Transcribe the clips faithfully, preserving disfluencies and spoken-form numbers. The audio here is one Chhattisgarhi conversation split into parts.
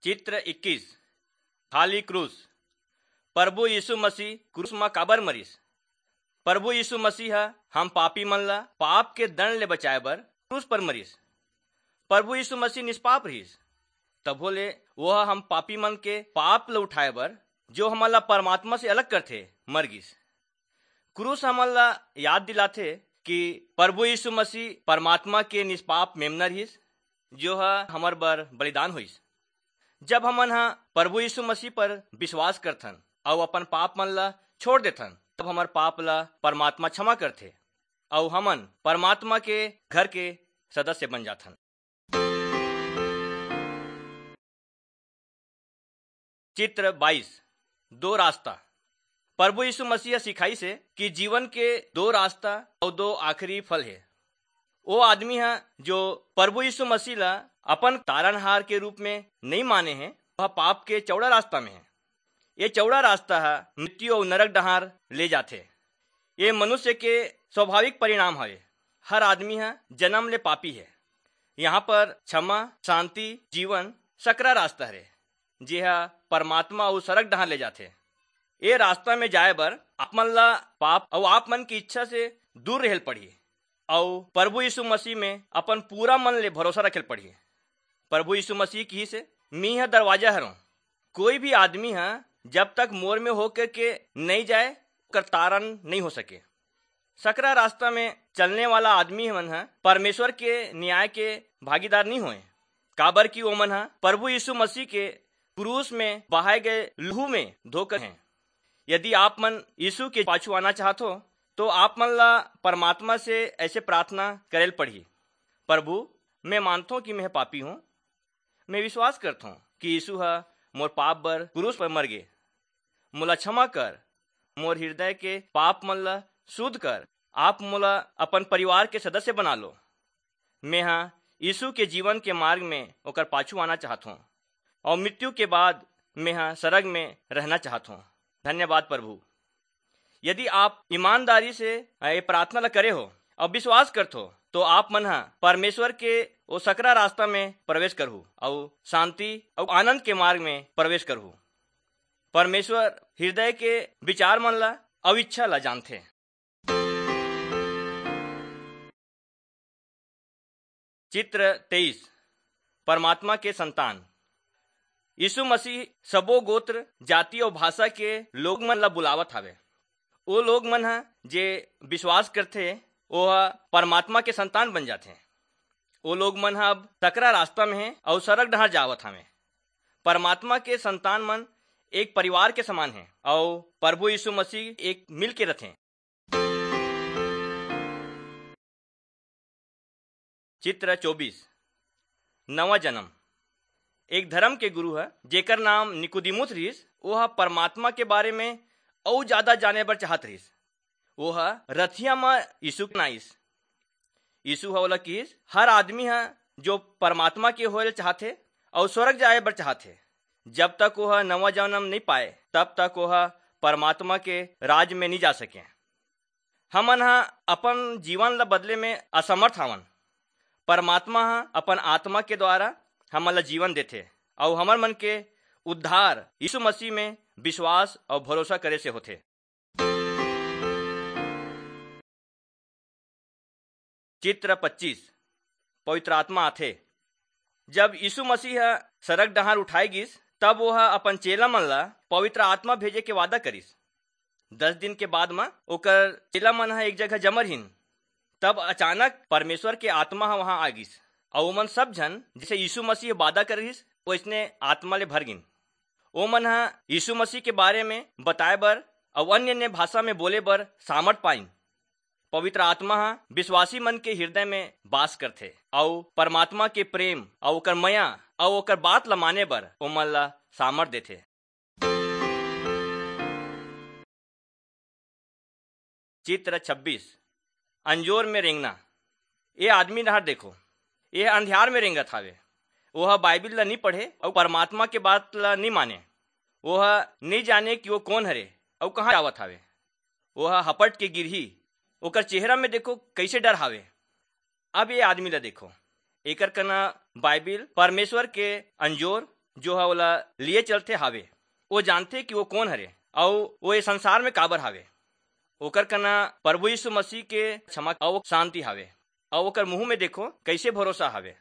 चित्र इक्कीस, खाली क्रूस। प्रभु यीशु मसीह क्रूस म काबर मरिस? प्रभु यीशु मसीह ह हम पापी मन ला पाप के दंड ले बचाए बर क्रूस पर मरिस। प्रभु यीशु मसीह निष्पाप रहिस, तभो ले वो ह हम पापी मन के पाप ल उठाए बर, जो हमन ला परमात्मा से अलग करथे, मर गिस। क्रूस हमन ला याद दिलाथे कि प्रभु यीशु मसीह परमात्मा के निष्पाप मेमना रहिस, जो ह हमर बर बलिदान होइस। जब हमन ह प्रभु यीशु मसीह पर विश्वास करथन अउ अपन पाप मन ला छोड़ देथन, तब हमर पाप ला परमात्मा क्षमा करथे अउ हमन परमात्मा के घर के सदस्य बन जाथन। चित्र बाईस, दो रास्ता। प्रभु यीशु मसीह सिखाइस हे कि जीवन के दो रास्ता अउ दो आखिरी फल हे। वो आदमी ह जो प्रभु यीशु मसीह ला अपन तारनहार के रूप में नहीं माने हे, वह पाप के चौड़ा रास्ता में हे। ये चौड़ा रास्ता ह मृत्यु अउ नरक डहार ले जाथे। ये मनुष्य के स्वाभाविक परिणाम हवे। हर आदमी ह जन्म ले पापी हे। यहाँ पर क्षमा, शांति, जीवन, सकरा रास्ता हरे, जेहा परमात्मा अउ सरग डहार ले जाथे। ए रास्ता में जाए बर आप मन ला पाप अउ आप मन की इच्छा से दूर रहल पड़ही अउ प्रभु यीशु मसीह में अपन पूरा मन ले भरोसा रखेल पड़ही। प्रभु यीशु मसीह किहिस हे, "मी ह दरवाजा हरों, कोई भी आदमी ह जब तक मोर में होकर के नहीं जाए, ओकर तारन नहीं हो सके।" सकरा रास्ता में चलने वाला आदमी मन ह परमेश्वर के न्याय के भागीदार नहीं होए, काबर कि ओमन ह प्रभु यीशु मसीह के क्रूस में बहाए गए लहू में धोकर हैं। यदि आप मन यीशु के पाछू आना चाहत हो, तो आप मन ला परमात्मा से ऐसे प्रार्थना करेल पड़ही, "प्रभु, मैं मानथों कि मैं पापी हूँ। मैं विश्वास करथों कि यीशु ह मोर पाप बर क्रूस पर मर गे। मोला क्षमा कर, मोर हृदय के पाप मन ला शुद्ध कर। आप मोला अपन परिवार के सदस्य बना लो। मैं ह यीशु के जीवन के मार्ग में ओकर पाछू आना चाहत हूँ और मृत्यु के बाद मैं ह सरग में रहना चाहत हूँ। धन्यवाद प्रभु।" यदि आप ईमानदारी से ये प्रार्थना ला करे हो और विश्वास करत हो, तो आप मन ह परमेश्वर के वो सकरा रास्ता में प्रवेश करहु और शांति और आनंद के मार्ग में प्रवेश करहु। परमेश्वर हृदय के विचार मन ला और इच्छा ला जानथे। चित्र तेईस, परमात्मा के संतान। यीशु मसीह सबो गोत्र, जाति और भाषा के लोग मन ला बुलावत हावे। वो लोग मन ह जे विश्वास करथे, वो ह परमात्मा के संतान बन जाथे। वो लोग मन ह अब सकरा रास्ता में हे और सरग डहार जावत हावे। परमात्मा के संतान मन एक परिवार के समान हे और प्रभु यीशु मसीह एक मिल के रथे। चित्र चौबीस, नवा जन्म। एक धर्म के गुरु ह, जेकर नाम निकुदिमुस रिहिस, वो ह परमात्मा के बारे में अउ ज्यादा जाने बर चाहत रिहिस। वो ह रथिया म यीशु के नाइस। यीशु ह ओला किहिस, "हर आदमी ह जो परमात्मा के होए ल चाहथे अउ स्वर्ग जाए बर चाहथे, जब तक वो ह नवा जन्म नहीं पाए, तब तक वो ह परमात्मा के राज में नहीं जा सके।" हमन ह अपन जीवन ल बदले में असमर्थ हवन। परमात्मा ह अपन आत्मा के द्वारा हमन ल जीवन देथे अउ हमर मन के उद्धार यीशु मसीह में विश्वास अउ भरोसा करे से होथे। चित्र पच्चीस, पवित्र आत्मा आथे। जब यीशु मसीह ह सरग डहार उठाए गिस, तब वो ह अपन चेला मन ला पवित्र आत्मा भेजे के वादा करिस। दस दिन के बाद म ओकर चेला मन ह एक जगह जमा रहिन। तब अचानक परमेश्वर के आत्मा ह वहां आ गिस, अउ ओमन सब झन, जैसे यीशु मसीह वादा करे रिहिस, वैसने आत्मा ले भर गिन। ओमन ह यीशु मसीह के बारे में बताए बर अउ अन्य अन्य भाषा में बोले बर सामर्थ पाइन। पवित्र आत्मा ह विश्वासी मन के हृदय में बास करथे, अउ परमात्मा के प्रेम अउ ओकर मया अउ ओकर बात ल माने बर ओमन ल सामर्थ देथे। चित्र छब्बीस, अंजोर में रेंगना। ये आदमी डहार देखो, ये अंधियार में रेंगत हावे। वो ह बाइबिल ला नहीं पढ़े अउ परमात्मा के बात ला नहीं माने। वो ह नहीं जाने कि वो कौन हरे अउ कहाँ जावत हावे। वो ह हपट के गिरही। ओकर चेहरा में देखो, कैसे डर हावे। अब ये आदमी ला देखो, एकर कना बाइबिल, परमेश्वर के अंजोर, जो ह ओला लिए चलथे हावे। वो जानथे कि वो कोन हरे अउ वो ये संसार में काबर हावे। ओकर कना प्रभु यीशु मसीह के क्षमा अउ शांति हावे अउ ओकर मुंह में देखो, कैसे भरोसा हावे।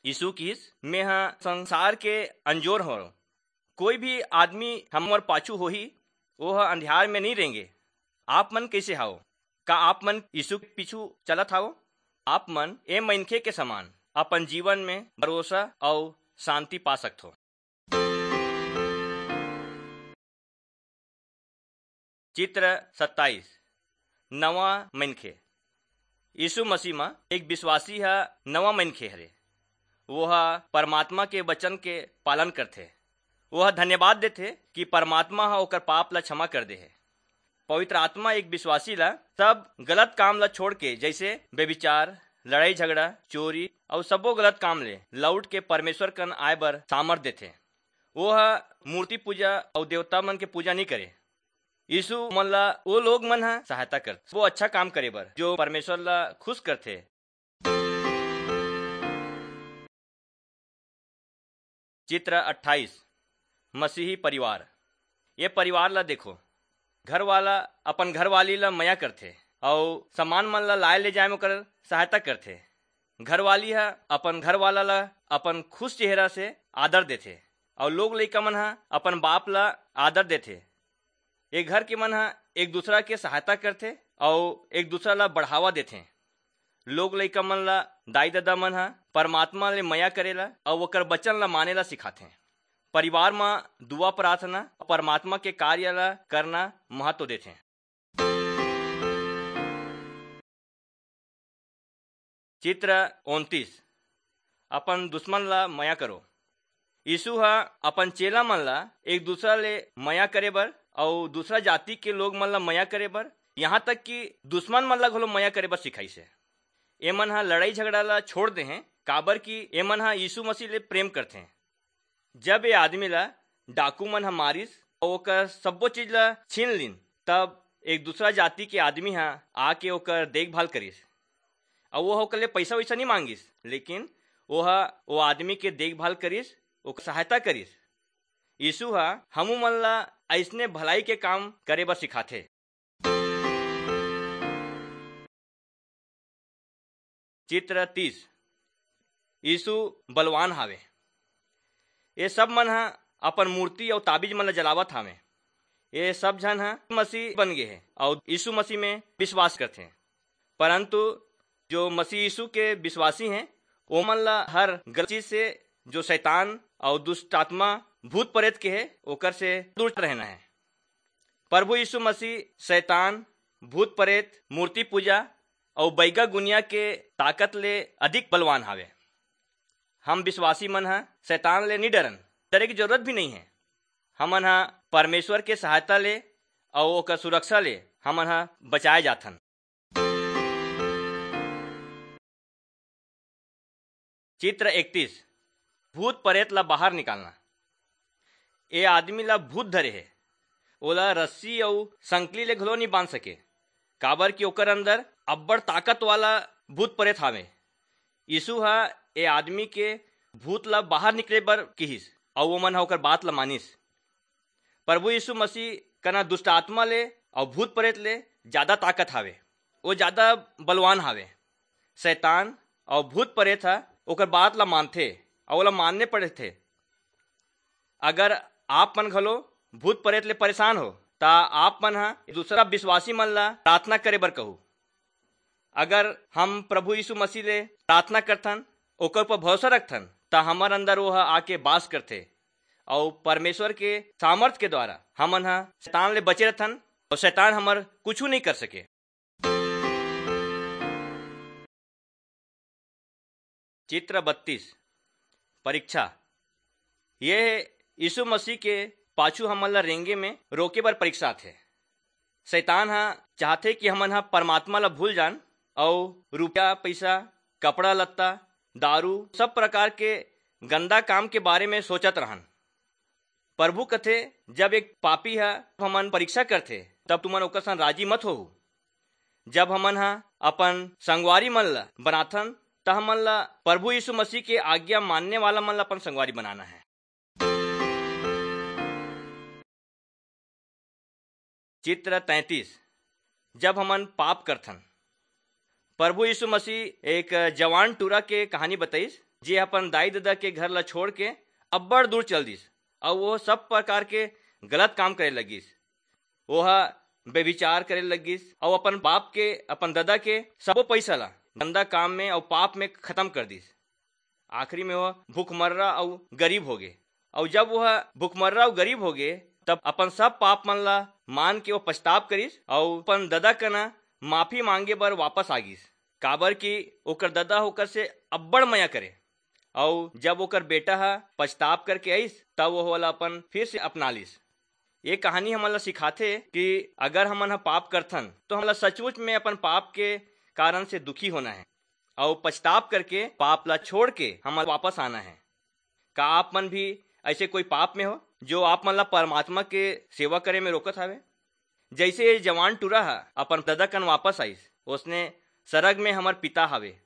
यीशु किहिस, "मैं ह संसार के अंजोर हरव। कोई भी आदमी हमर पाछू होही, वो ह अंधियार में नहीं रेंगे।" आप मन कैसे हाव? का आप मन यीशु के पीछू चलत हाव? आप मन ए मनखे के समान अपन जीवन में भरोसा अउ शांति पा सकथो। चित्र सत्ताईस। नवा मनखे। यीशु मसीह म एक विश्वासी ह नवा मनखे हरे। वो ह परमात्मा के वचन के पालन करथे। वो ह धन्यवाद देथे कि परमात्मा ह ओकर पाप ला क्षमा कर दे हे। पवित्र आत्मा एक विश्वासी ला सब गलत काम ला छोड़ के, जैसे व्यभिचार, लड़ाई झगड़ा, चोरी अउ सबो गलत काम ले लौट के परमेश्वर कन आए बर सामर्थ देथे। वो ह मूर्ति पूजा अउ देवता मन के पूजा नहीं करे। यीशु मन ला वो लोग मन ह सहायता करथे, वो अच्छा काम करे बर, जो परमेश्वर ला खुश करथे। चित्र अट्ठाईस। मसीही परिवार। ये परिवार ला देखो। घरवाला अपन घरवाली ला मया करथे अउ सामान मन ला लाए ले जाए में ओकर सहायता करथे। घरवाली ह अपन घरवाला ला अपन खुश चेहरा से आदर देथे अउ लोग लइका मन ह अपन बाप ला आदर देथे। ये घर के मन ह एक दूसरा के सहायता करथे अउ एक दूसरा ला बढ़ावा देथे। लोग लइका मन ला दाई ददा मन ह परमात्मा ले मया करे ला अउ ओकर वचन ला माने ला सिखाथे। परिवार म दुआ प्रार्थना, परमात्मा के कार्य ला करना महत्व देथे। चित्र उनतीस। अपन दुश्मन ला मया करो। यीशु ह अपन चेला मन ला एक दूसरा ले मया करे बर अउ दूसरा जाति के लोग मन ला मया करे बर, यहाँ तक कि दुश्मन मन ला घलो मया करे बर सिखाइस हे। एमन ह लड़ाई झगड़ा ला छोड़ दे हें, काबर कि एमन ह यीशु मसीह ले प्रेम करथे। जब ये आदमी ला डाकू मन ह मारिस अउ ओकर सब्बो चीज ला छीन लीन, तब एक दूसरा जाति के आदमी ह आके ओकर देखभाल करिस। अउ वो ओकर ले पैसा वैसा नहीं मांगिस, लेकिन वो ह वो आदमी के देखभाल करिस, ओकर सहायता करिस। यीशु ह हमू मन ला अइसने भलाई के काम करे बर सिखाथे। चित्र तीस। यीशु बलवान हावे। ये सब मन ह अपन मूर्ति अउ ताबीज मन ला जलावत हावे। ये सब झन ह मसीह बन गे हे अउ यीशु मसीह में विश्वास करथे। परंतु जो मसीह यीशु के विश्वासी हैं, ओमन ला हर गलत चीज से, जो शैतान अउ दुष्ट आत्मा, भूत प्रेत के हे, ओकर से दूर रहना है। प्रभु यीशु मसीह शैतान, भूत प्रेत, मूर्ति पूजा अउ बैगा गुनिया के ताकत ले अधिक बलवान हावे। हम विश्वासी मन ह शैतान ले नी डरन, डरे की जरूरत भी नहीं है। हमन ह परमेश्वर के सहायता ले अउ ओकर सुरक्षा ले हमन ह बचाए जाथन। चित्र इकतीस। भूत प्रेत ला बाहर निकालना। ए आदमी ला भूत धरे हे। ओला रस्सी अउ संकली ले घलो नी बांध सके, काबर कि ओकर अंदर अब्बड़ ताकत वाला भूत प्रेत हावे। यीशु ह ए आदमी के भूत ला बाहर निकले बर किहिस, अउ ओमन ह ओकर बात ला मानिस। प्रभु यीशु मसीह कना दुष्ट आत्मा ले अउ भूत प्रेत ले ज्यादा ताकत हावे, वो ज्यादा बलवान हावे। शैतान अउ भूत प्रेत ह ओकर बात ला मानथे अउ ओला मानने पड़थे। अगर आप मन घलो भूत प्रेत ले परेशान हो, ता आप मन ह दूसरा विश्वासी मन ला प्रार्थना करे बर कहू। अगर हम प्रभु यीशु मसीह ले प्रार्थना करथन, ओकर ऊपर भरोसा रखथन, त हमर अंदर वो ह आके बास करथे, अउ परमेश्वर के सामर्थ के द्वारा हमन ह शैतान ले बचे रहथन, अउ शैतान हमर कुछू नहीं कर सके। चित्र बत्तीस। परीक्षा। ये यीशु मसीह के पाछू हमन ला रेंगे में रोके बर परीक्षा आथे। शैतान ह चाहथे कि हमन ह परमात्मा ला भूल जान अउ रुपया, पैसा, कपड़ा लत्ता, दारू, सब प्रकार के गंदा काम के बारे में सोचत रहन। प्रभु कथे, "जब एक पापी ह हमन परीक्षा करथे, तब तुमन ओकर संग राजी मत होहू।" जब हमन ह अपन संगवारी मन ला बनाथन, त हमन ला प्रभु यीशु मसीह के आज्ञा मानने वाला मन ला अपन संगवारी बनाना है। चित्र तैंतीस, जब हमन पाप करथन। प्रभु यीशु मसीह एक जवान टूरा के कहानी बताइस, जे अपन दाई ददा के घर ला छोड़ के अब्बड़ दूर चल दिस, अउ वो सब प्रकार के गलत काम करे लगिस। वो ह व्यभिचार करे लगिस, अउ अपन बाप के, अपन ददा के सबो पैसा ला गंदा काम में अउ पाप में खत्म कर दिस। आखिरी में वो भूखमर्रा अउ गरीब हो गे। अउ जब वह भूखमर्रा अउ गरीब हो गे, तब अपन सब पाप मन ला मान के वो पछताप करिस अउ अपन ददा कना माफी मांगे बर वापस आ गिस, काबर कि ओकर ददा ओकर से अब्बड़ मया करे। अउ जब ओकर बेटा ह पछताप करके आइस, तब वो ओला अपन फिर से अपना लिस। ये कहानी हमन ला सिखाथे कि अगर हमन ह पाप करथन, तो हमन ला सचमुच में अपन पाप के कारण से दुखी होना है, अउ पछताप करके पाप ला छोड़ के हमन वापस आना है। का आप मन भी ऐसे कोई पाप में हो, जो आप मन ला परमात्मा के सेवा करे में रोकत हवे? जैसे ये जवान टूरा ह अपन ददा कन वापस आइस, उसने, "सरग में हमर पिता हवे,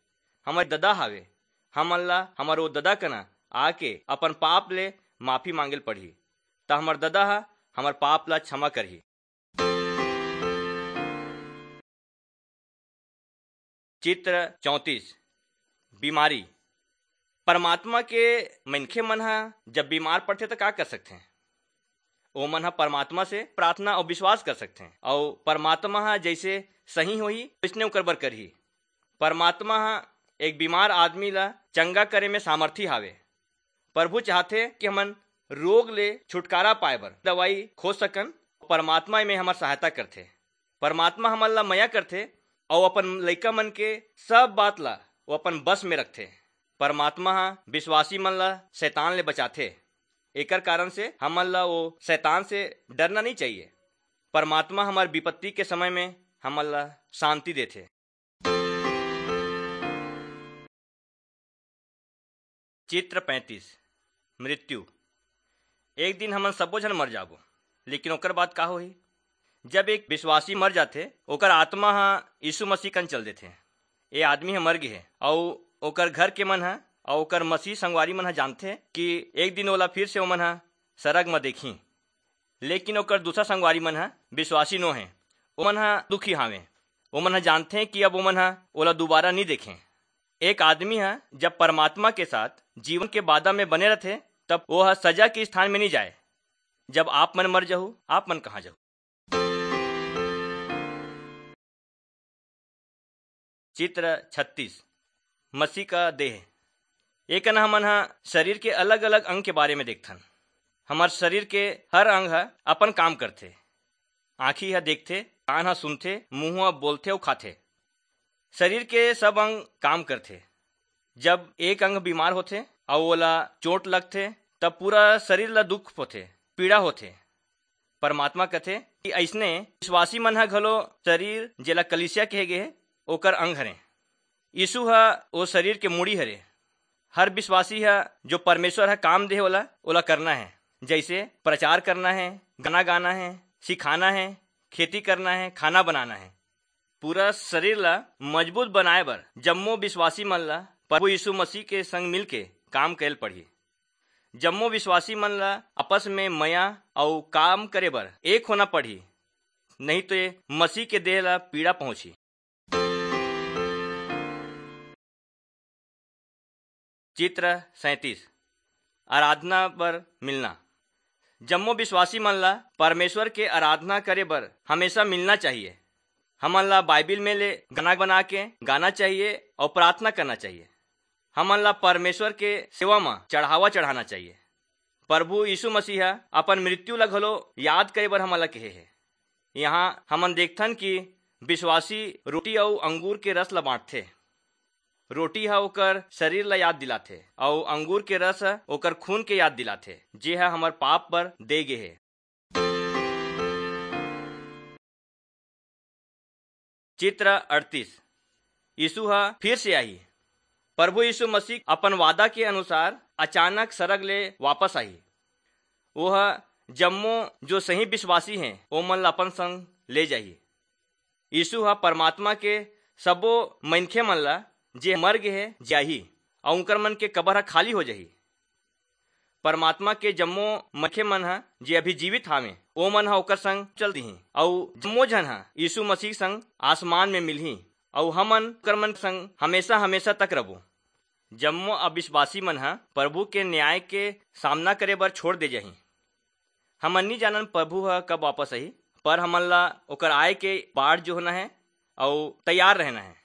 हमर ददा हवे, हमन ला हमर वो ददा कना आके अपन पाप ले माफी मांगे ल पड़ही, त हमर ददा ह हमर पाप ला क्षमा करही।" चित्र चौंतीस, बीमारी। परमात्मा के मनखे मन ह जब बीमार पड़थे, त का कर सकथे? ओमन ह परमात्मा से प्रार्थना अउ विश्वास कर सकथे, अउ परमात्मा ह जइसे सही होही, वइसने ओकर बर करही। परमात्मा ह एक बीमार आदमी ला चंगा करे में सामर्थी हावे। प्रभु चाहथे कि हमन रोग ले छुटकारा पाए बर दवाई खोज सकन। परमात्मा एमे हमर सहायता करथे। परमात्मा हमन ला मया करथे अउ अपन लइका मन के सब बात ला वो अपन बस में रखथे। परमात्मा ह विश्वासी मन ला शैतान ले बचाथे। एकर कारण से हमन ला वो शैतान से डरना नहीं चाहिए। परमात्मा हमर विपत्ति के समय में हमन ला शांति देथे। चित्र पैंतीस, मृत्यु। एक दिन हमन सबो झन मर जाबो, लेकिन ओकर बाद का होही? जब एक विश्वासी मर जाथे, ओकर आत्मा ह यीशु मसीह कन चल देथे। ए आदमी ह मर गे हे, अउ ओकर घर के मन ह अउ ओकर मसीह संगवारी मन ह जानथे कि एक दिन ओला फिर से ओमन ह सरग म देखही। लेकिन ओकर दूसरा संगवारी मन ह विश्वासी नो हे, ओमन ह दुखी हावे। ओमन ह जानथे कि अब ओमन ह ओला दोबारा नी देखें। एक आदमी ह जब परमात्मा के साथ जीवन के वादा में बने रथे, तब वो ह सजा के स्थान में नी जाए। जब आप मन मर जहू, आप मन कहाँ जहू? चित्र छत्तीस, मसीह का देह। एकन हमन ह शरीर के अलग-अलग अंग के बारे में देखथन। हमर शरीर के हर अंग ह अपन काम करथे। आँखी ह देखथे, कान ह सुनथे, मुंह ह बोलथे अउ खाथे। शरीर के सब अंग काम करथे। जब एक अंग बीमार होथे अउ ओला चोट लगथे, तब पूरा शरीर ला दुख होथे, पीड़ा होथे। परमात्मा कथे कि अइसने विश्वासी मन ह घलो शरीर, जेला कलीसिया कहे गे हे, ओकर अंग हरे। यीशु ह ओ शरीर के मुड़ी हरे। हर विश्वासी ह जो परमेश्वर ह काम दे हे ओला, ओला करना हे। जैसे प्रचार करना हे, गाना गाना हे, सिखाना हे, खेती करना हे, खाना बनाना हे। पूरा शरीर ला मजबूत बनाए बर जम्मो विश्वासी मन ला प्रभु यीशु मसीह के संग मिलके काम करेल पड़ही। जम्मो विश्वासी मन ला आपस में मया अउ काम करे बर एक होना पड़ही, नहीं तो ये मसीह के देह ला पीड़ा पहुंची। चित्र सैंतीस, आराधना बर मिलना। जम्मो विश्वासी मन ला परमेश्वर के आराधना करे बर हमेशा मिलना चाहिए। हमन ला बाइबिल में ले गाना बना के गाना चाहिए अउ प्रार्थना करना चाहिए। हमन ला परमेश्वर के सेवा म चढ़ावा चढ़ाना चाहिए। प्रभु यीशु मसीह ह अपन मृत्यु ला घलो याद करे बर हमन ला कहे हे। यहाँ हमन देखथन कि विश्वासी रोटी अउ अंगूर के रस ला बांटथे। रोटी ह ओकर शरीर ला याद दिलाथे अउ अंगूर के रस ह ओकर खून के याद दिलाथे, जे ह हमर पाप बर दे गे हे। चित्र अड़तीस, यीशु ह फिर से आही। प्रभु यीशु मसीह अपन वादा के अनुसार अचानक सरग ले वापस आही। वो ह जम्मो जो सही विश्वासी हैं, ओमन ला अपन संग ले जाही। यीशु ह परमात्मा के सबो मनखे मन ला, जे मर गे हे, जियाही, अउ उनकर मन के कबर ह खाली हो जाही। परमात्मा के जम्मो मनखे मन ह, जे अभी जीवित हावे, ओ मन ह ओकर संग चल दिही, अऊ जम्मो झन ह यीशु मसीह संग आसमान में मिलही, अऊ हमन ओकर मन संग हमेशा, हमेशा तक रबो। जम्मो अविश्वासी मन ह प्रभु के न्याय के सामना करे बर छोड़ दे जाही। हमन नी जानन प्रभु ह कब वापस आही, पर हमन ला ओकर आय के बाट जोहना है अऊ तैयार रहना है।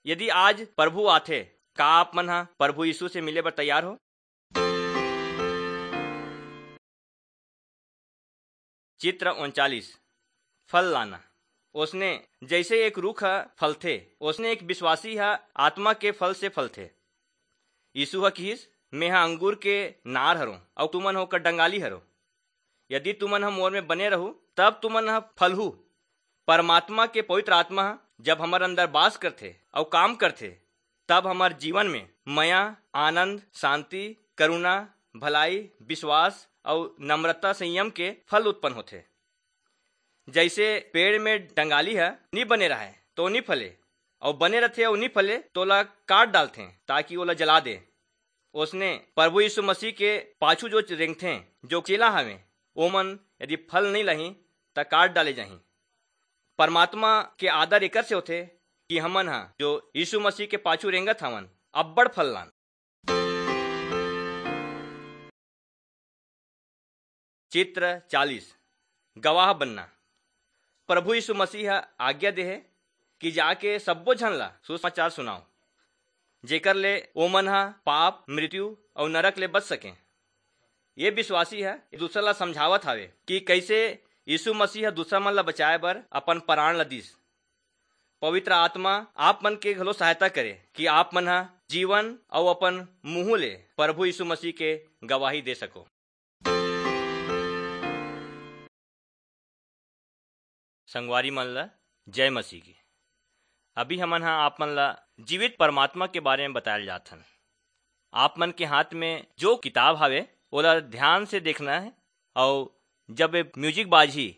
यदि आज प्रभु आथे, का आप मन ह प्रभु यीशु से मिले बर तैयार हो? चित्र उनचालीस। फल लाना। ओसने जैसे एक रुख ह फलथे, ओसने एक विश्वासी ह आत्मा के फल से फलथे। यीशु ह किहिस, "मेंह अंगूर के नार हरों, अऊ तुमन ह ओकर डंगाली हरो। यदि तुमन ह मोर में बने रहू, तब तुमन ह फलहू।" परमात्मा के पवित्र आत्मा ह जब हमर अंदर बास करथे अऊ काम करथे, तब हमर जीवन में मया, आनंद, शांति, करुणा, भलाई, विश्वास अऊ नम्रता, संयम के फल उत्पन्न होथे। जैसे पेड़ में डंगाली ह नी बने रहय, तो नी फले, अऊ बने रथे अऊ नी फले, तो ओला काट डालथें, ताकि ओला जला दे। ओसने प्रभु यीशु मसीह के पाछू जो रेंगथें, जो चेला हवें, ओमन यदि फल नी लाही, त काट डाले जाही। परमात्मा के आदर एकर से होथे कि हमन ह, जो यीशु मसीह के पाछू रेंगत हवन, अब्बड़ फल लान। चित्र चालीस। गवाह बनना। प्रभु यीशु मसीह ह आज्ञा देहे कि जाके सब्बो झन ला सुसमाचार सुनाओ, जेकर ले ओमन ह पाप, मृत्यु अऊ नरक ले बच सकें। ये विश्वासी ह एक दूसरा ला समझावत हावे कि कैसे यीशु मसीह ह दूसरा मन ला बचाए बर अपन प्राण ला दीस। पवित्र आत्मा आप मन के घलो सहायता करे कि आप मन ह जीवन अऊ अपन मुंह ले प्रभु यीशु मसीह के गवाही दे सको। संगवारी मन ला जय मसीह की। अभी हमन ह आप मन ला जीवित परमात्मा के बारे में बतायल जात हन। आप मन के हाथ में जो किताब हावे, ओला ध्यान से देखना है, अऊ जब ये म्यूजिक बाजही,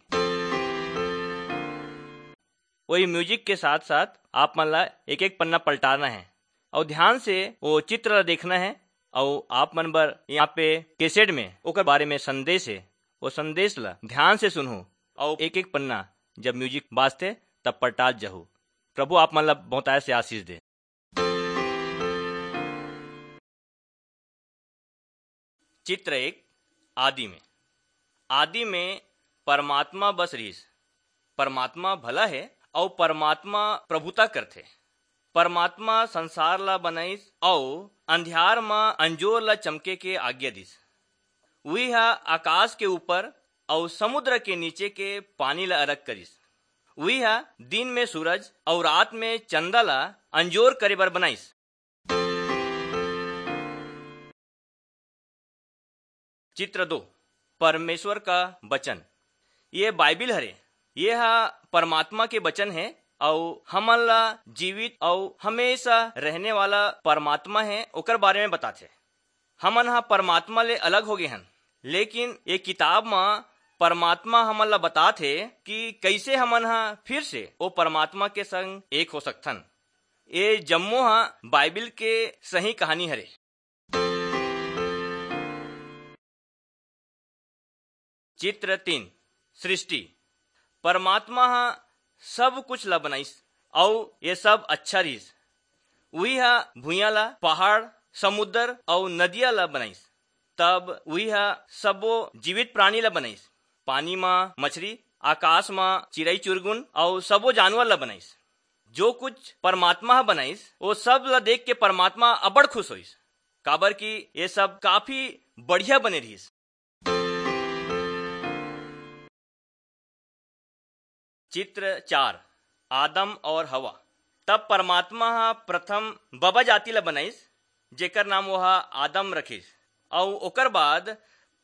वही म्यूजिक के साथ साथ आप मन ला एक एक पन्ना पलटाना है, अऊ ध्यान से वो चित्र ला देखना है, अऊ आप मन बर यहाँ पे कैसेट में ओकर बारे में संदेश है। वो संदेश ला ध्यान से सुनहु, अऊ एक एक पन्ना जब म्यूजिक बाजथे, तब पलटात जहू। प्रभु आप मन ला बहुतायत से आशीष दे। चित्र एक। आदि में, आदि में परमात्मा बस रहिस। परमात्मा भला है, अऊ परमात्मा प्रभुता करथे। परमात्मा संसार ला बनाइस अऊ अंधियार म अंजोर ला चमके के आज्ञा दिस। उही ह आकाश के ऊपर अऊ समुद्र के नीचे के पानी ला अलग करिस। उही ह दिन में सूरज अऊ रात में चंदा ला अंजोर करे बर बनाइस। चित्र दो, परमेश्वर का वचन। ये बाइबिल हरे, ये ह परमात्मा के वचन है, अऊ हमन ला जीवित अऊ हमेशा रहने वाला परमात्मा है, ओकर बारे में बताथे। हमन ह परमात्मा ले अलग हो गए हन, लेकिन ये किताब म परमात्मा हमन ला बताथे कि कैसे हमन ह फिर से वो परमात्मा के संग एक हो सकथन। ये जम्मो ह बाइबिल के सही कहानी हरे। चित्र तीन, सृष्टि। परमात्मा ह सब कुछ ला बनाइस, अऊ ये सब अच्छा रिहिस। उही ह भुइयां ला, पहाड़, समुद्र अऊ नदिया ला बनाइस। तब उही ह सबो जीवित प्राणी ला बनाइस, पानी म मछरी, आकाश म चिरई चुरगुन अऊ सबो जानवर ला बनाइस। जो कुछ परमात्मा ह बनाइस, वो सब ला देख के परमात्मा अबड़ खुश होइस, काबर कि ये सब काफी बढ़िया बने रिहिस। चित्र चार, आदम और हवा। तब परमात्मा ह प्रथम बबा जाति ला बनाइस, जेकर नाम वो ह आदम रखिस, अऊ ओकर बाद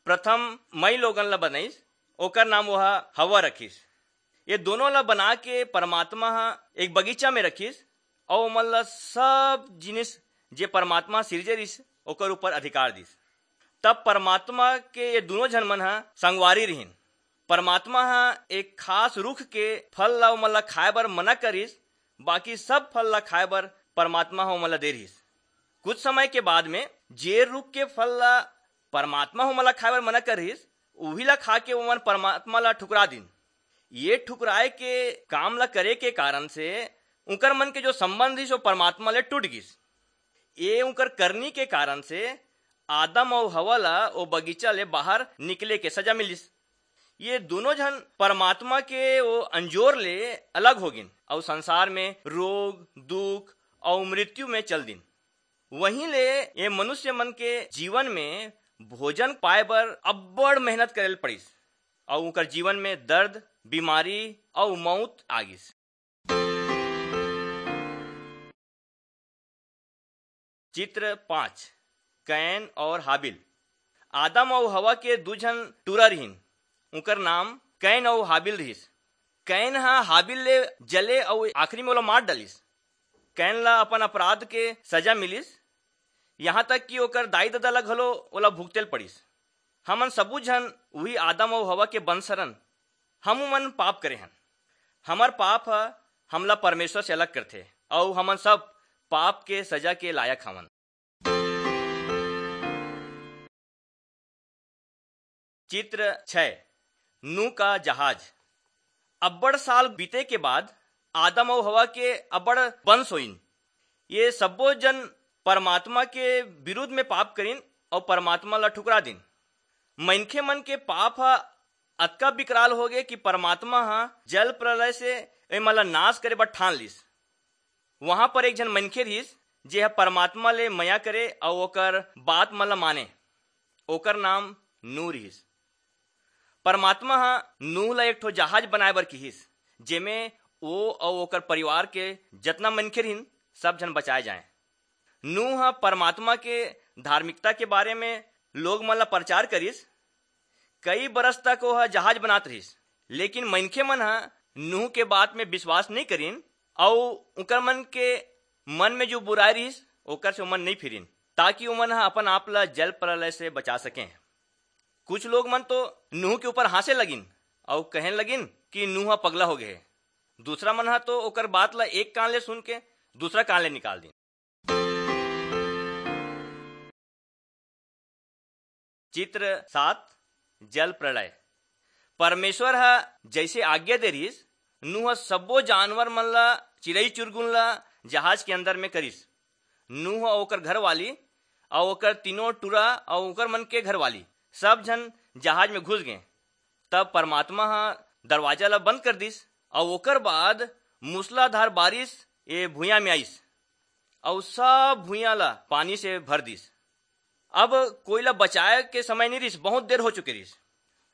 प्रथम मई लोगन ला बनाइस, ओकर नाम वो ह हवा रखिस। ये दोनों ला बना के परमात्मा ह एक बगीचा में रखिस, अऊ ओमन ला सब जिनिस, जे परमात्मा सिरजे रिहिस, ओकर ऊपर अधिकार दिस। तब परमात्मा के ये दोनों झन मन ह संगवारी रिहिन। परमात्मा ह एक खास रुख के फल ला ओमन ला खाए बर मना करिस, बाकी सब फल ला खाए बर परमात्मा ह ओमन ला दे रिहिस। कुछ समय के बाद में जे रुख के फल ला परमात्मा ओमन ला खाए बर मना कर रिहिस, उही ला खा के ओमन परमात्मा ला ठुकरा दिन। ये ठुकराए के काम ला करे के कारण से उंकर मन के जो संबंध रिहिस, वो परमात्मा ले टूट गिस। ये उंकर करनी के कारण से आदम अउ हवा ला वो बगीचा ले बाहर निकले के सजा मिलिस। ये दोनों झन परमात्मा के वो अंजोर ले अलग हो गिन अउ संसार में रोग, दुख अउ मृत्यु में चल दिन। वहीं ले ये मनुष्य मन के जीवन में भोजन पाए बर अब्बड़ मेहनत करे ल पड़िस अउ उंकर जीवन में दर्द, बीमारी अउ मौत आ गिस। चित्र पाँच, कैन और हाबिल। आदम अउ हवा के दू झन टूरा रिहिन। उंकर नाम कैन अउ हाबिल रिहिस। कैन ह हाबिल ले जले अउ आखिरी में ओला मार डालिस। कैन ला अपन अपराध के सजा मिलिस, यहाँ तक कि ओकर दाई ददा ला घलो ओला भुगते ल पड़िस। हमन सबू झन उही आदम अउ हवा के वंश हरन। हमू मन पाप करे हन। हमर पाप ह हमला परमेश्वर से अलग करथे, अउ हमन सब पाप के सजा के लायक हवन। चित्र छह, नूह का जहाज। अब्बड़ साल बीते के बाद आदम अउ हवा के अब्बड़ वंश होइन। ये सब्बो जन परमात्मा के विरुद्ध में पाप करिन अउ परमात्मा ला ठुकरा दिन। मनखे मन के पाप ह अतका विकराल हो गे कि परमात्मा ह जल प्रलय से एमन ला नाश करे बर ठान लिस। वहां पर एक झन मनखे रिहिस, जे ह परमात्मा ले मया करे अउ ओकर बात मन ला माने। ओकर नाम नूह रिहिस। परमात्मा ह नूह ला एक ठो जहाज बनाए बर किहिस, जेमे वो अउ ओकर परिवार के जतना मनखे रिहिन, सब झन बचाए जाएं। नूह ह परमात्मा के धार्मिकता के बारे में लोग मन ला प्रचार करिस। कई बरस तक वो ह जहाज बनात रहिस, लेकिन मनखे मन ह नूह के बात में विश्वास नहीं करिन अउ उकर मन के मन में जो बुराई रहिस, ओकर से ओमन नहीं फिरिन, ताकि ओमन ह अपन आप ला जल प्रलय से बचा सकें। कुछ लोग मन तो नूह के ऊपर हंसे लगिन अउ कहन लगिन कि नूह ह पगला हो गए हे। दूसरा मन ह तो ओकर बात ला एक कान ले सुन के दूसरा कान ले निकाल दिन। चित्र सात, जल प्रलय। परमेश्वर ह जैसे आज्ञा दे रिहिस, नूह सब्बो जानवर मन ला, चिड़ई चुरगुन ला जहाज के अंदर में करिस। नूह अउ ओकर घरवाली अउ ओकर तीनों टूरा अउ ओकर मन के घरवाली सब झन जहाज में घुस गए। तब परमात्मा ह दरवाजा ला बंद कर दिस अउ ओकर बाद मूसलाधार बारिश ए भुइयां में आइस अउ सब भुइयां ला पानी से भर दिस। अब कोई ला बचाए के समय नहीं रिस, बहुत देर हो चुके रिस।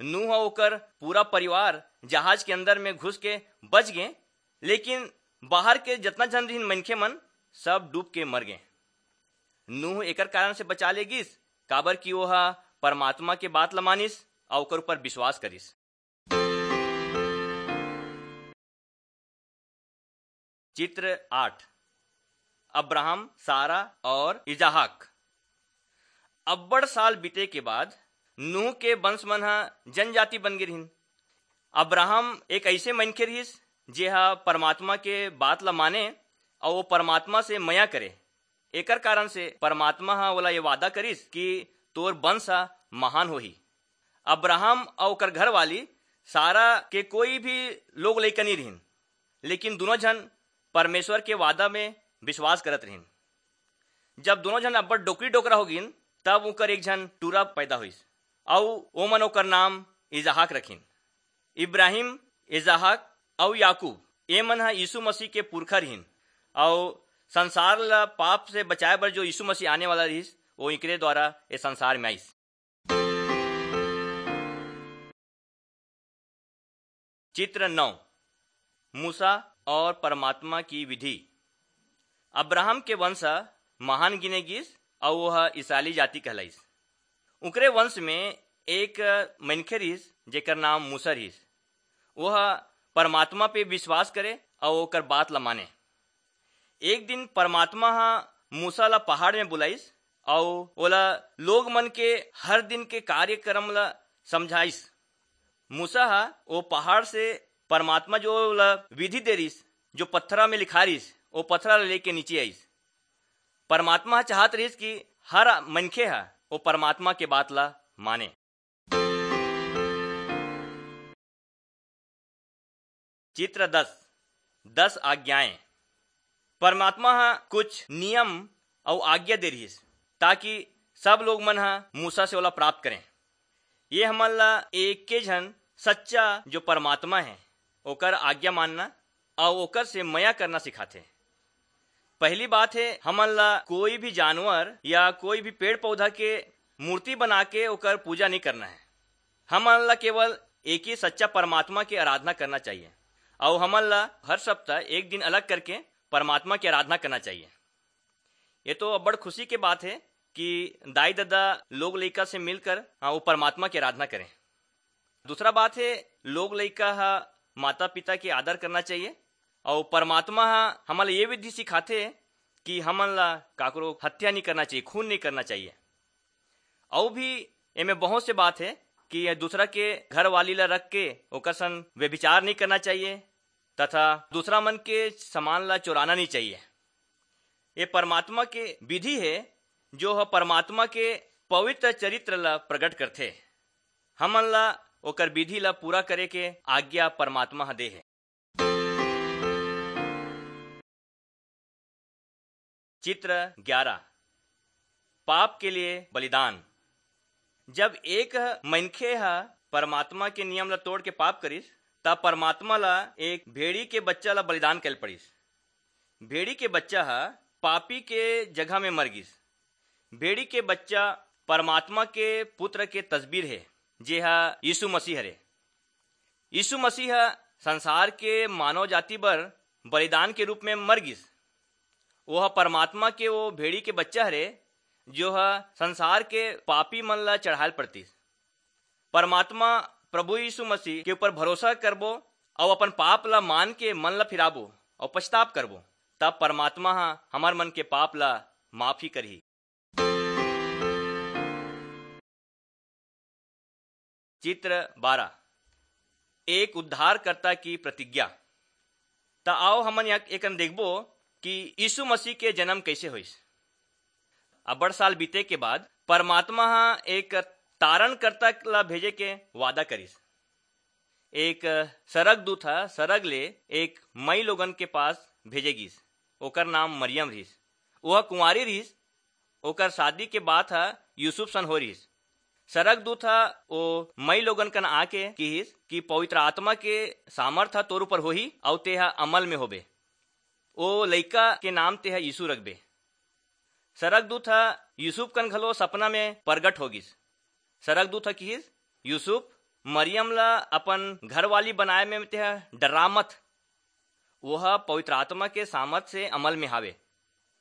नूह अउ ओकर पूरा परिवार जहाज के अंदर में घुस के बच गए, लेकिन बाहर के जितना झन रिहिन मनखे मन, सब डूब के मर गए। नूह एकर कारण से बचा ले गिस, काबर कि वो ह परमात्मा के बात ल मानिस अउ ओकर ऊपर विश्वास करिस। चित्र आठ, अब्राहम, सारा और इजहाक। अब्बड़ साल बीते के बाद नूह के वंश मन ह जनजाति बन गे रिहिन। अब्राहम एक ऐसे मनखे रिहिस, जे ह परमात्मा के बात ल माने अउ वो परमात्मा से मया करे। एकर कारण से परमात्मा ह ओला ये वादा करिस कि तोर वंश ह महान होही। अब्राहम अउ ओकर घरवाली सारा के कोई भी लोग लइका नहीं रिहिन, लेकिन दोनों झन परमेश्वर के वादा में विश्वास करत रिहिन। जब दोनों झन अब्बड़ डोकरी डोकरा हो गिन, तब उकर एक झन टूरा पैदा होइस, अउ ओमन ओकर नाम इजहाक रखिन। इब्राहिम, इजहाक अउ याकूब, ए मन ह यीशु मसीह के पुरखा रिहिन, अउ संसार ला पाप से बचाए बर जो यीशु मसीह आने वाला रिहिस, वो इकरे द्वारा ए संसार में आइस। चित्र नौ, मूसा और परमात्मा की विधि। अब्राहम के वंश ह महान गिने गिस अउ वो ह इसराइली जाति कहलाइस। उकरे वंश में एक मनखे रिहिस, जेकर नाम मूसा रिहिस। वो ह परमात्मा पे विश्वास करे अउ ओकर बात ल माने। एक दिन परमात्मा ह मूसा ला पहाड़ में बुलाइस अउ ओला लोग मन के हर दिन के कार्यक्रम ला समझाइस। मूसा ह ओ पहाड़ से परमात्मा जो ओला विधि दे रिस, जो पत्थरा में लिखा रिस, ओ पत्थरा ला लेके नीचे आइस। परमात्मा ह चाहत रिस कि हर मनखे ह वो परमात्मा के बात ला माने। चित्र दस, दस आज्ञाएं। परमात्मा ह कुछ नियम अउ आज्ञा दे रिहिस, ताकि सब लोग मन ह मूसा से ओला प्राप्त करें। ये हमन ला एके झन सच्चा जो परमात्मा है, ओकर आज्ञा मानना अउ ओकर से मया करना सिखाथे। पहली बात है, हमन ला कोई भी जानवर या कोई भी पेड़ पौधा के मूर्ति बना के ओकर पूजा नहीं करना है। हमन ला केवल एक ही सच्चा परमात्मा के आराधना करना चाहिए। अउ हमन ला हर सप्ताह एक दिन अलग करके परमात्मा की आराधना करना चाहिए। ये तो बड़ खुशी के बात है कि दाई ददा लोग लइका से मिलकर, हाँ, वो परमात्मा की आराधना करें। दूसरा बात है, लोग लइका हा माता पिता के आदर करना चाहिए। अउ परमात्मा हा हमन ला ये विधि सिखाथे कि हमन ला काकरो हत्या नहीं करना चाहिए, खून नहीं करना चाहिए। अउ भी एमे बहुत से बात है कि दूसरा के घर वाली ला रख के ओकर संग व्यभिचार नहीं करना चाहिए तथा दूसरा मन के सामान ला चुराना नहीं चाहिए। ये परमात्मा के विधि है, जो ह परमात्मा के पवित्र चरित्र ला प्रकट करथे। हमन ला ओकर विधि ला पूरा करे के आज्ञा परमात्मा ह दे हे। चित्र ग्यारह, पाप के लिए बलिदान। जब एक मनखे ह परमात्मा के नियम ला तोड़ के पाप करिस, तब परमात्मा ला एक भेड़ी के बच्चा ला बलिदान करे पड़िस। भेड़ी के बच्चा ह पापी के जगह में मर गिस। भेड़ी के बच्चा परमात्मा के पुत्र के तस्वीर हे, जे ह यीशु मसीह हरे। यीशु मसीह ह संसार के मानव जाति बर बलिदान के रूप में मर गिस। वो ह परमात्मा के वो भेड़ी के बच्चा हरे, जो ह संसार के पापी मन ला चढ़ायल पड़तिस। परमात्मा प्रभु यीशु मसीह के ऊपर भरोसा करबो अउ अपन पाप ला मान के मन ला फिराबो अउ पछताप करबो, तब परमात्मा ह हमर मन के पाप ला माफी करही। चित्र बारह, एक उद्धारकर्ता की प्रतिज्ञा। त आओ हमन यह एकन देखबो कि यीशु मसीह के जन्म कैसे होइस। अब्बड़ साल बीते के बाद परमात्मा ह एक तारणकर्ता ला भेजे के वादा करिस। एक सरग दूत ह सरग ले एक मई लोगन के पास भेजे गिस। ओकर नाम मरियम रिहिस। ओह कुंवारी रिहिस। ओकर शादी के बात ह यूसुफ सन हो रिहिस। सरग दूत ह ओ मई लोगन कन आके किहिस कि पवित्र आत्मा के सामर्थ ह तोर ऊपर होही अउ तेहा अमल में होबे। ओ लइका के नाम तेहा यीशु रखबे। सरग दूत ह यूसुफ कन घलो सपना में परगट हो गिस। सरग दूत ह किहिस, "यूसुफ, मरियम ला अपन घरवाली बनाए में तेहा डरा मत। ओह पवित्र आत्मा के सामर्थ से अमल में हावे।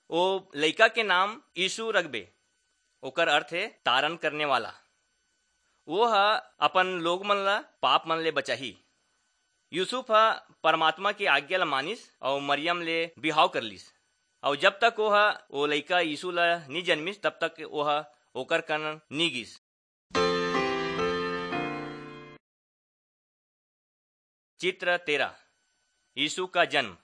ओ लइका के नाम यीशु रखबे।" ओकर अर्थ हे तारण करने वाला। वो ह अपन लोग मन ला पाप मन ले बचाही। यूसुफ ह परमात्मा के आज्ञा ला मानिस अउ मरियम ले बिहाव कर लिस। अउ जब तक वो ह, वो लइका यीशु ला नी जन्मिस, तब तक वो ह ओकर कन नी गिस। चित्र तेरह, यीशु का जन्म।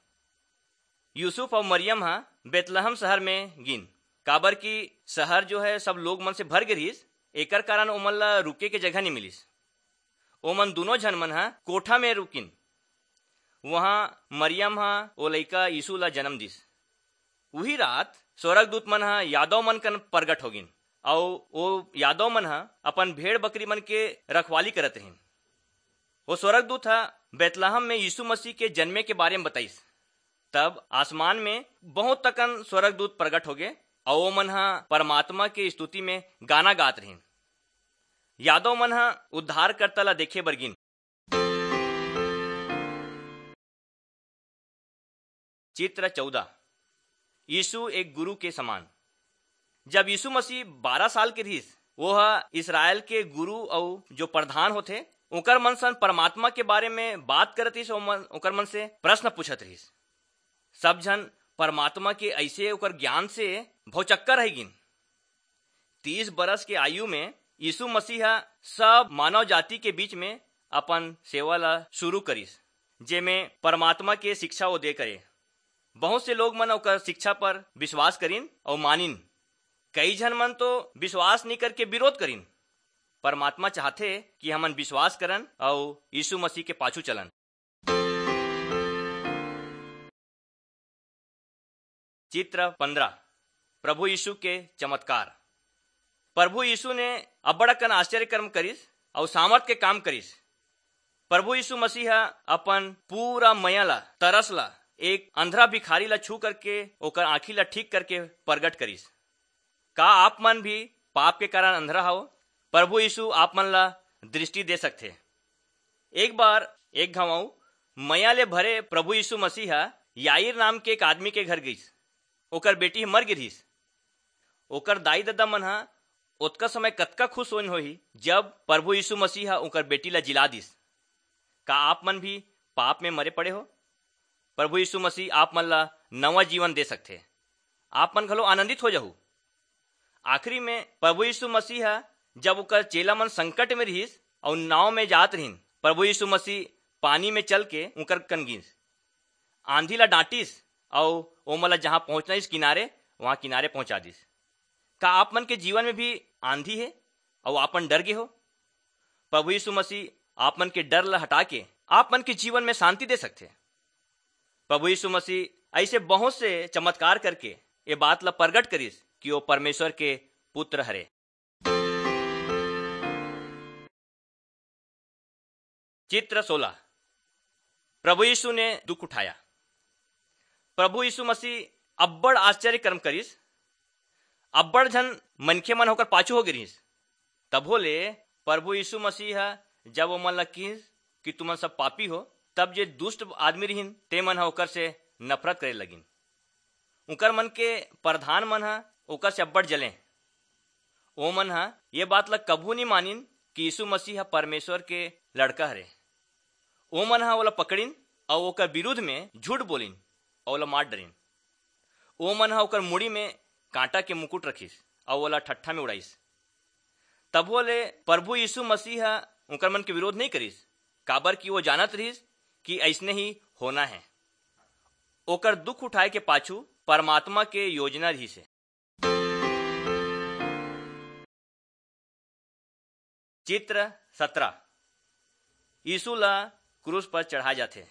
यूसुफ अउ मरियम ह बेतलहम शहर में गिन, काबर कि शहर जो है सब लोग मन से भर गे रिहिस, एकर कारण ओमन ला रुके के जगह नी मिलिस। ओमन दूनों झन मन ह कोठा में रुकिन। वहां मरियम ह ओ लइका यीशु ला जन्म दिस। उही रात स्वर्गदूत मन ह यादव मन कन परगट हो गिन, अउ ओ यादव मन ह अपन भेड़ बकरी मन के रखवाली करत रहिन। ओ स्वर्गदूत ह बेतलहम में यीशु मसीह के जन्मे के बारे में बताइस। तब आसमान में बहुत तकन स्वर्गदूत प्रगट होगे, अउ ओमन ह परमात्मा के स्तुति में गाना गात रहिन। यादव मन ह उद्धारकर्ता ला देखे बर गिन। चित्र चौदह, यीशु एक गुरु के समान। जब यीशु मसीह बारह साल के रहिस, वो ह इसराइल के गुरु अउ जो प्रधान होथे, ओकर मन सन परमात्मा के बारे में बात करत रहिस, ओमन, ओकर मन से प्रश्न पूछत रहिस। सब झन परमात्मा के ऐसे ओकर ज्ञान से भौचक्का रह गिन। तीस बरस के आयु में यीशु मसीह ह सब मानव जाति के बीच में अपन सेवा ला शुरू करिस, जेमे परमात्मा के शिक्षा वो दे करे। बहुत से लोग मन ओकर शिक्षा पर विश्वास करिन अउ मानिन। कई झन मन तो विश्वास नइ करके विरोध करिन। परमात्मा चाहथे कि हमन विश्वास करन अउ यीशु मसीह के पाछू चलन। चित्र पंद्रह, प्रभु यीशु के चमत्कार। प्रभु यीशु ने अब्बड़ अकन आश्चर्य कर्म करिस अउ सामर्थ के काम करिस। प्रभु यीशु मसीह ह अपन पूरा मया ला, तरस ला, एक अंधरा भिखारी ला छू करके ओकर आँखी ला ठीक करके प्रगट करिस। का आप मन भी पाप के कारण अंधरा हव? प्रभु यीशु आप मन ला दृष्टि दे सकथे। एक बार एक घांव मया ले भरे प्रभु यीशु मसीह ह याईर नाम के एक आदमी के घर गईस। ओकर बेटी ह मर गे रिहिस। ओकर दाई ददा मन ह ओतका समय कतका खुश होइन होही, जब प्रभु यीशु मसीह ह ओकर बेटी ला जिला दिस। का आप मन भी पाप में मरे पड़े हो? प्रभु यीशु मसीह आप मन ला नवा जीवन दे सकथे। आप मन घलो आनंदित हो जाहू। आखिरी में प्रभु यीशु मसीह ह, जब ओकर चेला मन संकट में रिहिस अउ नाव में जात रिहिन, प्रभु यीशु मसीह पानी में चल के उंकर कन गिस। आंधी ला डांटिस अउ ओमन ला जहां पहुंचना इस किनारे, वहां किनारे पहुंचा दिस। का आप मन के जीवन में भी आंधी हे अउ आपन डर गे हो? प्रभु यीशु मसीह आप मन के डर ला हटा के आप मन के जीवन में शांति दे सकथे। प्रभु यीशु मसीह ऐसे बहुत से चमत्कार करके ये बात ला प्रगट करिस कि वो परमेश्वर के पुत्र हरे। चित्र सोलह, प्रभु यीशु ने दुख उठाया। प्रभु यीशु मसीह अब्बड़ आश्चर्य कर्म करिस। अब्बड़ झन मनखे मन ओकर पाछू हो गे रिहिस। तभो ले प्रभु यीशु मसीह ह जब ओमन ला किहिस कि तुमन सब पापी हो, तब जे दुष्ट आदमी रिहिन, ते मन ह ओकर से नफरत करे लगिन। उंकर मन के प्रधान मन ह ओकर से अब्बड़ जलें। ओमन ह ये बात ला कभू नी मानिन कि यीशु मसीह ह परमेश्वर के लड़का हरे। ओमन ह ओला पकड़िन अउ ओकर विरुद्ध में झूठ बोलिन अउ ओला मार डरिन। ओमन ह ओकर मुड़ी में कांटा के मुकुट रखिस अउ ओला ठट्ठा में उड़ाइस। तभो ले प्रभु यीशु मसीह ह उंकर मन के विरोध नइ करिस, काबर कि वो जानत रिहिस कि अइसने ही होना हे। ओकर दुख उठाए के पाछू परमात्मा के योजना रिहिस हे। चित्र सतरा, यीशु ला क्रूस पर चढ़ाए जाथे।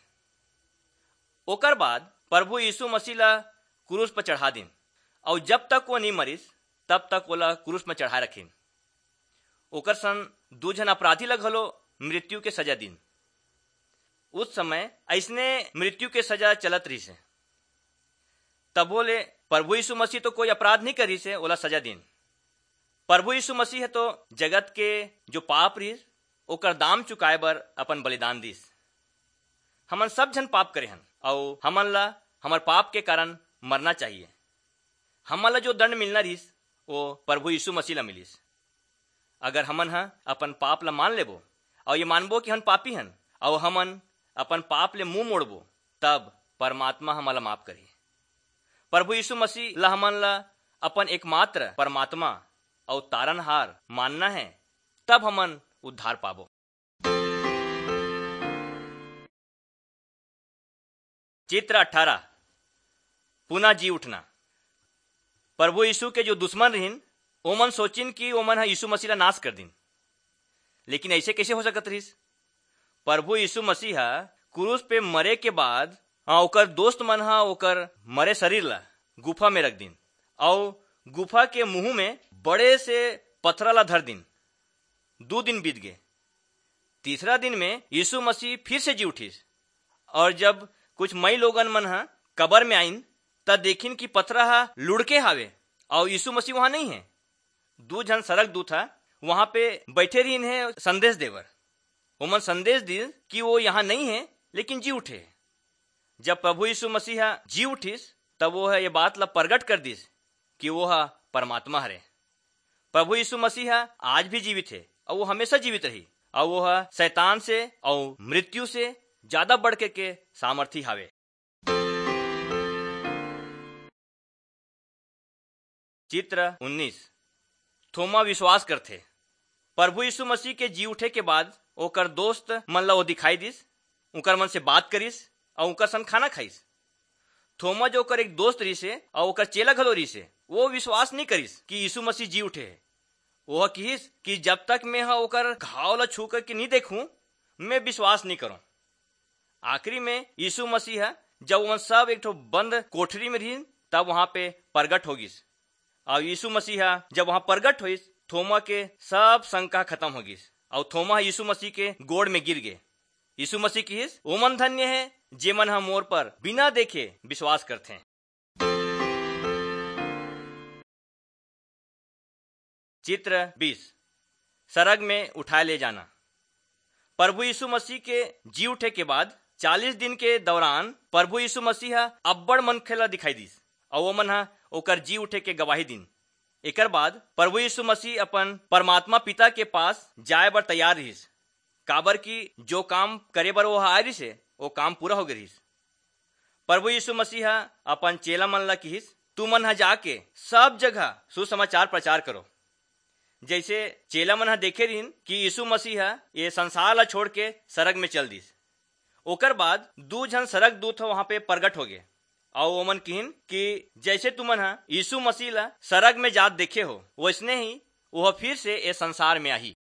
ओकर बाद प्रभु यीशु मसीह ला क्रूस पर चढ़ा दिन, अउ जब तक वो नी मरिस, तब तक ओला क्रूस में चढ़ाए रखिन। ओकर संग दू झन अपराधी ला घलो मृत्यु के सजा दिन। उस समय अइसने मृत्यु के सजा चलत रहिस हे। तभो ले प्रभु यीशु मसीह तो कोई अपराध नहीं करिस हे, ओला सजा दिन। प्रभु यीशु मसीह तो जगत के जो पाप रहिस, ओकर दाम चुकाए बर अपन बलिदान दिस। हमन सब झन पाप करे हन, अउ हमन ला हमर पाप के कारण मरना चाहिए। हमन ला जो दंड मिलना रहिस, वो प्रभु यीशु मसीह ला मिलिस। अगर हमन ह अपन पाप ला मान लेबो, अउ ये मानबो कि हम पापी हन, अउ हमन अपन पाप ले मुंह मोड़बो, तब परमात्मा हमन ला माफ करही। प्रभु यीशु मसीह ला हमन ला अपन एकमात्र परमात्मा अउ तारनहार मानना हे, तब हमन उद्धार पाबो। चित्र अठारह, पुनः जी उठना। प्रभु यीशु के जो दुश्मन रहिन, ओमन सोचिन कि ओमन ह यीशु मसीह ला नाश कर दिन। लेकिन ऐसे कैसे हो सकत रहिस? प्रभु यीशु मसीह ह क्रूस पे मरे के बाद, हाँ, ओकर दोस्त मन ह ओकर मरे शरीर ला गुफा में रख दिन, अउ गुफा के मुंह में बड़े से पथरा ला धर दिन। दू दिन बीत गए। तीसरा दिन में यीशु मसीह फिर से जी उठिस, और जब कुछ मई लोगन मन ह कबर में आइन, त देखिन कि पथरा ह लुढ़के हावे, अउ यीशु मसीह वहां नहीं है। दू झन सरग दूत ह वहां पे बैठे रहिन हे संदेश देवर। ओमन संदेश दिस कि वो यहाँ नहीं है, लेकिन जी उठे। जब प्रभु यीशु मसीह ह जी उठिस, तब वो ह ये बात ला प्रगट कर दिस कि वो ह परमात्मा हरे। प्रभु यीशु मसीह ह आज भी जीवित हे, अउ वो हमेशा जीवित रही, अउ वो ह शैतान से अउ मृत्यु से ज्यादा बढ़ के, के सामर्थी हावे। चित्र उन्नीस, थोमा विश्वास करथे। प्रभु यीशु मसीह के जी उठे के बाद ओकर दोस्त मन ला वो दिखाई दिस, उकर मन से बात करिस, अउ उकर संग खाना खाइस। थोमा जो ओकर एक दोस्त रिहिस हे, अउ ओकर चेला घलो रिहिस हे, वो विश्वास नहीं करिस कि यीशु मसीह जी उठे हे। वह किहिस कि जब तक मैं ह ओकर घाव ला छू करके नहीं देखूं, मैं विश्वास नहीं करूं। आखिरी में यीशु मसीह ह जब उन सब एक ठो बंद कोठरी में रहिन, तब वहां पे प्रगट हो गिस। और यीशु मसीह ह जब वहां प्रगट होइस, थोमा के सब शंका खत्म हो गिस और थोमा ह यीशु मसीह के गोड़ में गिर गे। यीशु मसीह किहिस, "ओमन धन्य हे, जेमन ह मोर पर बिना देखे विश्वास करथे।" चित्र बीस, सरग में उठाए ले जाना। प्रभु यीशु मसीह के जी उठे के बाद चालीस दिन के दौरान प्रभु यीशु मसीह ह अब्बड़ मनखे ला दिखाई दिस, अउ ओमन ह ओकर जी उठे के गवाही दिन। एकर बाद प्रभु यीशु मसीह अपन परमात्मा पिता के पास जाए बर तैयार रहिस, काबर कि जो काम करे बर वो ह आए रहिस हे, वो काम पूरा हो गे रहिस। प्रभु यीशु मसीह ह अपन चेला मन ला किहिस, "तुमन ह जाके सब जगह सुसमाचार प्रचार करो।" जैसे चेला मन ह देखे रहिन कि यीशु मसीह ह ये संसार ला छोड़ के सरग में चल दिस, ओकर बाद दू झन सरग दूत ह वहां पे प्रगट हो गे, अउ ओमन किहिन कि जैसे तुमन ह यीशु मसीह ला सरग में जात देखे हो, वैसने ही वह फिर से ये संसार में आही।